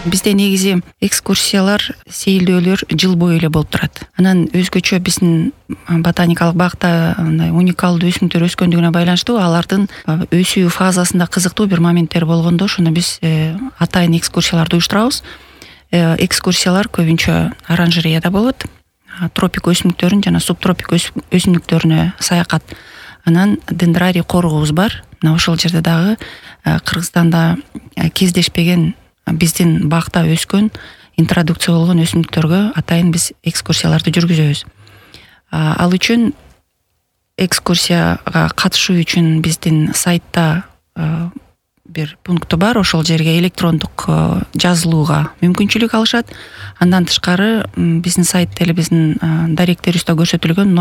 Бизде негизи экскурсиялар, сейилдөөлөр жыл бою эле болуп турат. Анан өзгөчө биздин ботаникалык бакта мындай уникалдуу өсүмдүктөр өскөндүгүнө байланыштуу алардын өсүү фазасында кызыктуу бир моменттер болгондо ошондо биз атайын экскурсияларды уюштурабыз. Экскурсиялар көбүнчө оранжереяда болот. Тропик өсүмдүктөрүн жана субтропик өсүмдүктөрүнө саякат. Анан дендрарий коругубуз бар. Мына ошол жерде дагы Кыргызстанда кездешпеген биздин бакта өскөн, интродукция болгон өсүмдүктөргө атайын биз экскурсияларды жүргүзөбүз. Ал үчүн экскурсияга катышуу үчүн биздин сайтта бир пункту бар. Ошол жерге электрондук жазылууга мүмкүнчүлүк алышат. Андан тышкары биздин сайтта эле биздин даректерибизде көрсөтүлгөн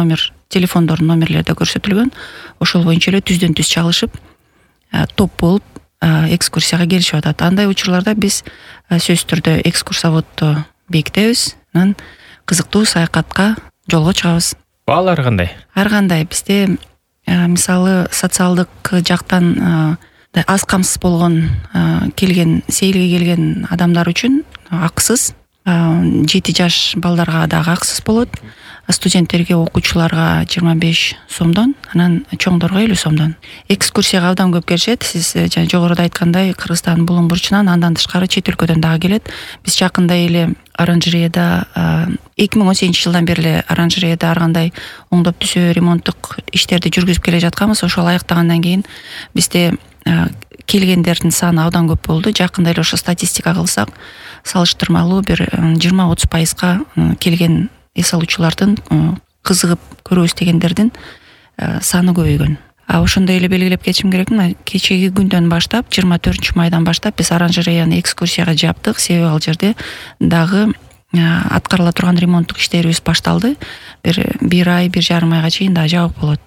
телефондордун номерлери көрсөтүлгөн. Ошол боюнча эле түздөн түз чалышып, топ болуп экскурсияга келишип атат. Андай учурларда биз сөзсүз түрдө экскурсоводду бекитебиз. Анан кызыктуу саякатка жолго чыгабыз. Баалары кандай? Ар кандай. Бизде мисалы социалдык жактан аз камсыз болгон сейилге келген адамдар үчүн акысыз, 7 жаш балдарга дагы акысыз болот. Студенттерге, окуучуларга 25 сомдон, анан чоңдорго 50 сомдон. Экскурсияга абдан көп келишет. Сиз жана жогоруда айткандай Кыргызстандын булуң бурчунан, андан тышкары чет өлкөдөн дагы келет. Биз жакында эле оранжереяда 2018 жылдан бери эле оранжереяда ар кандай оңдоп түзөө, ремонттук иштерди жүргүзүп келе жатканбыз. Ошол аяктагандан кийин бизде келгендердин саны абдан көп болду. Жакында эле ошо статистика кылсак, салыштырмалуу бир 20-30% келген эс алуучулардын кызыгып көрөбүз дегендердин саны көбөйгөн. Ошондой эле белгилеп кетишим керек. Кечеги күндөн баштап, 24 майдан баштап биз оранжереяны экскурсияга жаптык. Себеби ал жерде дагы аткарыла турган ремонттук иштерибиз башталды. Бир ай, 1,5 айга чейин да жабык болот.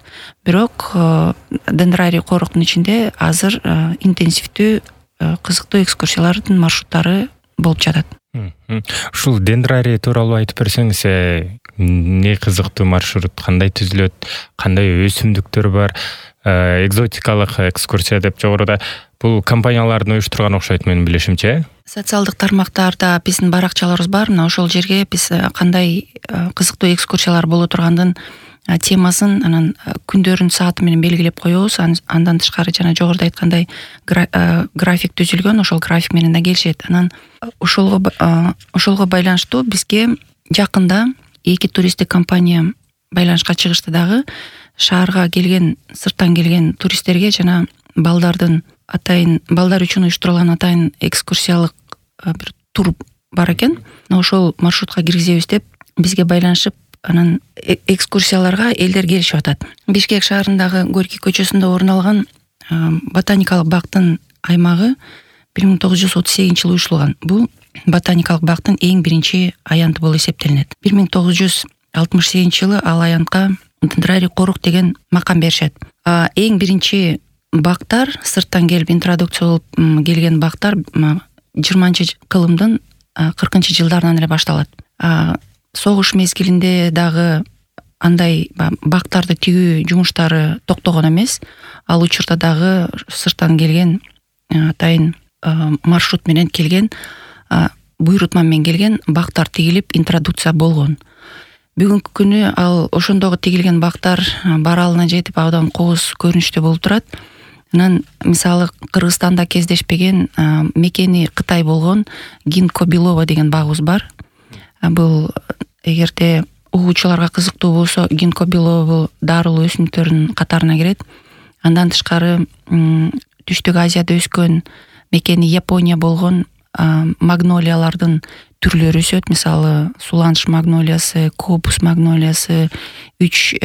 Бирок дендрарий коруктун ичинде азыр интенсивдүү кызыктуу экскурсиялардын маршруттары болуп жатат. Ушул дендрарий тууралуу айтып берсеңиз, эмне кызыктуу маршрут, кандай түзүлөт, кандай өсүмдүктөр бар, экзотикалык экскурсия деп жогоруда бул компаниялардын уюштурган окшойт менин билишимче. Социалдык тармактарда биздин баракчаларыбыз бар. Мына ошол жерге биз кандай кызыктуу экскурсиялар боло тургандын темасын, анан күндөрүн, сааты менен белгилеп коебуз. Андан тышкары жана жогоруда айткандай график түзүлгөн, ошол график менен да келишет. Анан ошолго байланыштуу бизге жакында 2 туристтик компания байланышка чыгышты дагы. Шаарга келген, сырттан келген туристтерге жана балдар үчүн уюштурулган атайын экскурсиялык бир тур бар экен. Ошол маршрутка киргизебиз деп бизге байланышып, анан экскурсияларга элдер келишип атат. Бишкек шаарындагы Горький көчөсүндө орун алган ботаникалык бактын аймагы 1938 жылы уюштурулган. Бул ботаникалык бактын эң биринчи аянты болуп эсептелинет. 1968 жылы ал аянтка дендрарий корук деген макам беришет. Эң биринчи бактар, сырттан келип интродукция болуп келген бактар 20-кылымдын 40-жылдарынан эле башталат. Согуш мезгилинде дагы андай бактарды тигүү жумуштары токтогон эмес. Ал учурда дагы сырттан келген атайын маршрут менен келген, буйрутма менен келген бактар тигилип интродукция болгон. Бүгүнкү күнү ал ошондогу тигилген бактар баралына жетип абдан кооз көрүнүштүү болуп турат. Анан мисалы Кыргызстанда кездешпеген мекени Кытай болгон Гинко Белова деген багыбыз бар. Бул эгерде угуучуларга кызыктуу болсо, Гинко Белова бул дарылуу өсүмдүктөрдүн катарына кирет. Андан тышкары Түштүк Азияда өскөн мекени Япония болгон магнолиялардын түрлөрү өсөт. Мисалы суланыш магнолиясы, копус магнолиясы, 3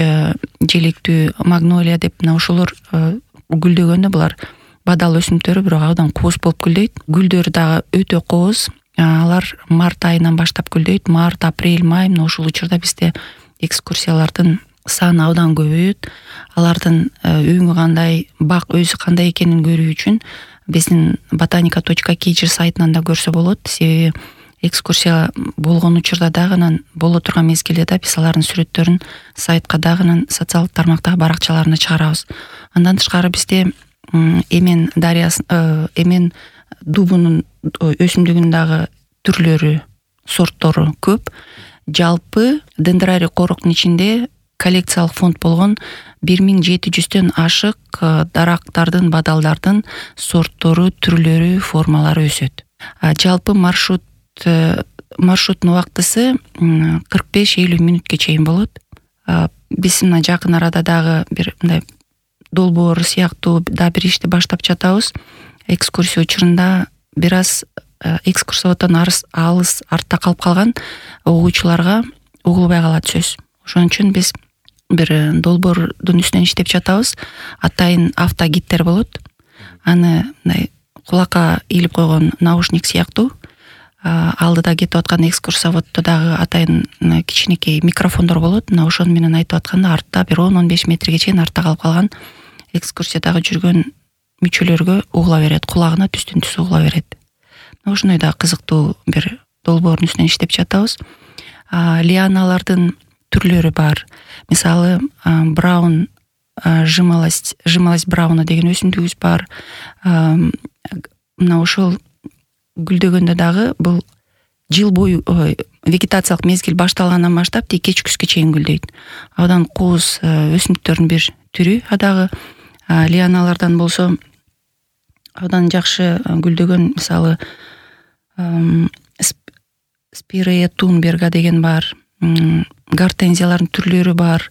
желектүү магнолия деп, мына ошолор гүлдөгөндө булар бадал өсүмдүктөрү, бирок абдан кооз болуп гүлдөйт. Гүлдөрү дагы өтө кооз. Алар март айынан баштап гүлдөйт. Март, апрель, май, мына ошол учурда бизде экскурсиялардын саны абдан көбөйөт. Алардын өңү кандай, бак өзү кандай экенин көрүү үчүн биздин botanica.kg сайтынан да көрсө болот. Себеби экскурсия болгон учурда дагы, анан боло турган мезгилде да биз алардын сүрөттөрүн сайтка дагы, анан социалдык тармактагы баракчаларына чыгарабыз. Андан тышкары бизде эмен дарыясы, эмен дубунун өсүмдүгүн дагы түрлөрү, сорттору көп. Жалпы дендрарий короктун ичинде коллекциялык фонд болгон 1700дөн ашык дарактардын, бадалдардын сорттору, түрлөрү, формалары өсөт. Жалпы маршруттун убактысы 45-50 мүнөткө чейин болот. Биз мына жакын арада дагы бир мындай долбоор сыяктуу да бир ишти баштап жатабыз. Экскурсия учурунда бир аз экскурсоводдон алыс артта калып калган угуучуларга угулбай калат сөз. Ошон үчүн биз бир долбоордун үстүнөн иштеп жатабыз. Атайын автогидтер болот. Аны мындай кулакка илип койгон наушник сыяктуу. Алдыда кетип аткан экскурсоводдо дагы атайын кичинекей микрофондор болот. Мына ошону менен айтып атканда артта бир 10-15 метрге чейин артта калып калган экскурсиядагы жүргөн мүчөлөргө угула берет, кулагына түстөн-түз угула берет. Ошондой да кызыктуу бир долбоордун үстүнөн иштеп жатабыз. Лианалардын түрлөрү бар. Мисалы, браун, жимолость брауна деген өсүмдүгүбүз бар. Мына ошол гүлдөгөндө дагы бул жыл бою вегетациялык мезгил башталгандан баштап тик кечкүскө чейин гүлдөйт. Абдан кооз өсүмдүктөрдүн бир түрү. Дагы лианалардан болсо абдан жакшы гүлдөгөн, мисалы, спирея тунберга деген бар. Гортензиялардын түрлөрү бар.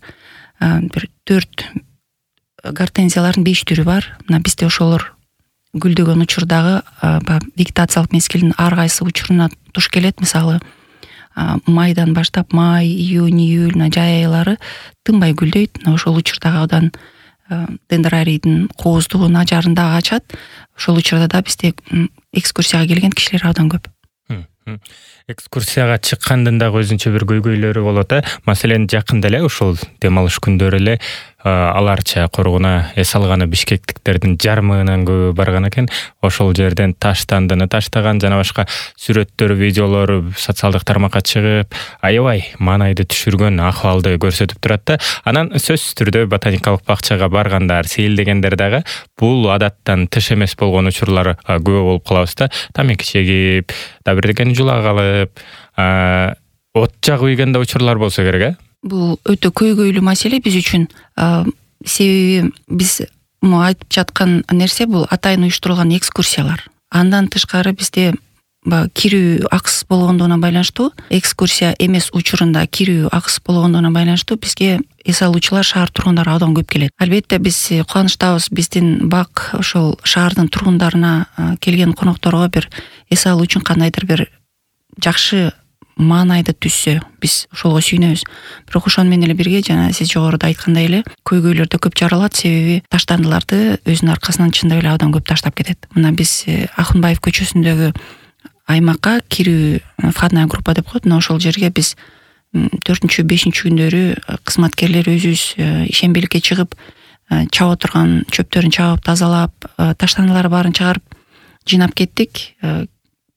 Бир 4 гортензиялардын 5 түрү бар. Мына бизде ошолор гүлдөгөн учурдагы вегетациялык мезгилдин ар кайсы учуруна туш келет. Мисалы, майдан баштап май, июнь, июль, жай айлары тынбай гүлдөйт. Ошол учурдагы абдан дендрарийдин кооздугун ажарын дагы ачат. Ошол учурда да бизде экскурсияга келген кишилер абдан көп. Экскурсияга чыккандын дагы өзүнчө бир көйгөйлөрү болот. Маселен, жакында эле ушул дем алыш күндөрү эле аларча коргуна эс алганы бишкектиктердин жарымынан көбү барган экен. Ошол жерден таштандыны таштаган жана башка сүрөттөр, видеолору социалдык тармакка чыгып, аябай маанайды түшүргөн акыбалды көрсөтүп турат да. Анан сөзсүз түрдө ботаникалык бакчага баргандар, сейилдегендер дагы бул адаттан тыш эмес болгон учурлар көп болуп калабыз да. Тамеки чегип, да бирдекени жула калып, от жагып ийген да учурлар болсо керек, Бул өтө көйгөйлүү маселе биз үчүн. Себеби биз айтып жаткан нерсе бул атайын уюштурулган экскурсиялар. Андан тышкары бизде кирүү акысыз болгондугуна байланыштуу, экскурсия эмес учурунда кирүү акысыз болгондугуна байланыштуу бизге эс алуучулар шаар тургундары абдан көп келет. Албетте биз кубанычтабыз, биздин бак ошол шаардын тургундарына келген конокторго бир эс алуу үчүн кандайдыр бир жакшы маанайды түшсө, биз ошолго сүйүнөбүз. Бирок ошону менен эле бирге, жана сиз жогоруда айткандай эле, көйгөйлөр да көп жаралат, себеби таштандыларды өзүнүн аркасынан чындап эле абдан көп таштап кетет. Мына биз Акынбаев көчөсүндөгү аймакка кирүү входная группа деп коет. Ошол жерге биз 4-5 күндөрү кызматкерлер өзүбүз ишембиликке чыгып, чаап отурган чөптөрүн чаап, тазалап, таштандылары баарын чыгарып жыйнап кеттик.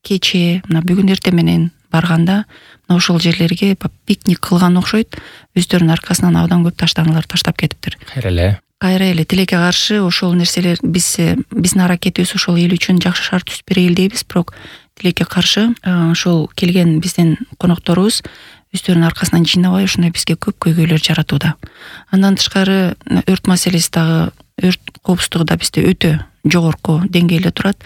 Кечээ, мына бүгүн эртең менен барганда ошол жерлерге пикник кылган окшойт. Өздөрүнүн аркасынан абдан көп таштандылар таштап кетиптир. Кайра эле тилекке каршы ошол нерселер биздин аракетибиз ошол эл үчүн жакшы шарт түзүп берели дейбиз, бирок тилекке каршы ошол келген биздин конокторубуз өздөрүнүн аркасынан жыйнабай ушундай бизге көп көйгөйлөр жаратууда. Андан тышкары өрт маселеси дагы, өрт коопсуздугу да бизде өтө жогорку деңгээлде турат.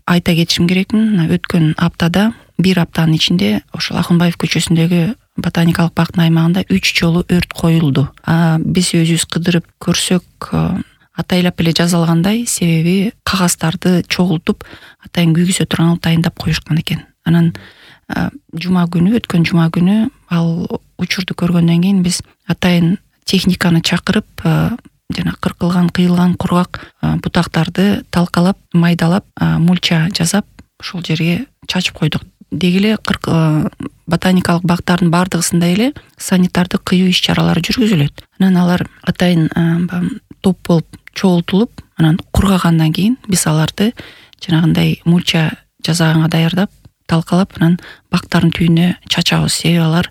Айта кетишим керекмин, өткөн аптада, бир аптанын ичинде ошол Акынбаев көчөсүндөгү ботаникалык бактын аймагында 3 жолу өрт коюлду. Биз өзүбүз кыдырып көрсөк, атайлап эле жазалгандай, себеби кагаздарды чогултуп атайын күйгүзө турган дайындап коюшкан экен. Анан өткөн жума күнү ал учурду көргөндөн кийин биз атайын техниканы чакырып, жана кыркылган, кыйылган кургак бутактарды талкалап, майдалап, мульча жасап, ошол жерге чачып койдук. Деги эле ботаникалык бактардын бардыгысында эле санитардык кыюу иш-чаралары жүргүзүлөт. Анан алар атайын топ болуп чогултулуп, анан кургагандан кийин биз аларды жанагындай мульча жасаганга даярдап, талкалап, анан бактардын түбүнө чачабыз. Себеби алар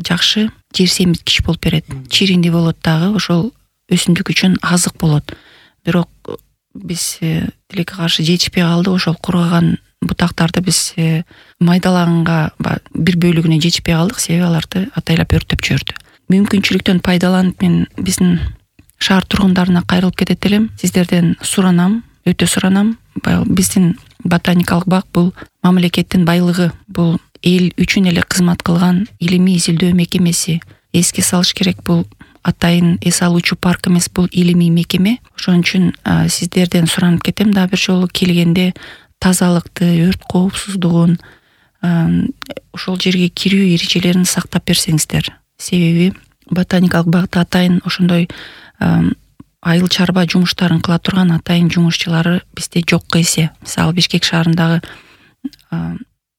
жакшы жер семирткич болуп берет. Чиринди болот дагы, ошол өсүмдүк үчүн азык болот. Бирок биз тилекке каршы жетишпей калды. Ошол кургаган бутактарды биз майдалаганга бир бөлүгүнө жетишпей калдык, себеби аларды атайлап өрттөп жиберди. Мүмкүнчүлүктөн пайдаланып мен биздин шаар тургундарына кайрылып кетет элем. Сиздерден суранам, өтө суранам. Биздин ботаникалык бак бул мамлекеттин байлыгы, бул эл үчүн эле кызмат кылган илимий изилдөө мекемеси. Эске салыш керек, бул атайын эс алуучу парк эмес, бул илимий мекеме. Ошон үчүн сиздерден суранып кетем, дагы бир жолу келгенде тазалыкты, өрт коопсуздугун, ошол жерге кирүү эрежелерин сактап берсеңиздер. Себеби ботаникалык багта атайын ошондой айыл чарба жумуштарын кыла турган атайын жумушчулары бизде жокко эсе. Мисалы Бишкек шаарындагы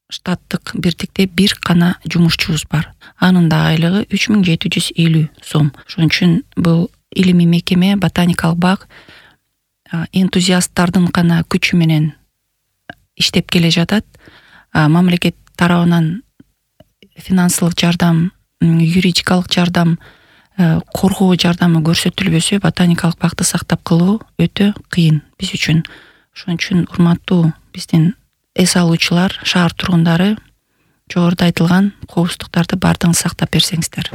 штаттык бирдикте бир гана жумушчубуз бар. Анын да айлыгы 3750 сом. Ошон үчүн бул илимий мекеме, ботаникалык бак энтузиасттардын гана күчү менен иштеп келе жатат. Мамлекет тарабынан финансылык жардам, юридикалык жардам, коргоо жардамы көрсөтүлбөсө, ботаникалык бакты сактап калуу өтө кыйын биз үчүн. Ошон үчүн урматтуу биздин эс алуучулар, шаар тургундары, жогоруда айтылган коопсуздуктарды бардыгын сактап берсеңиздер.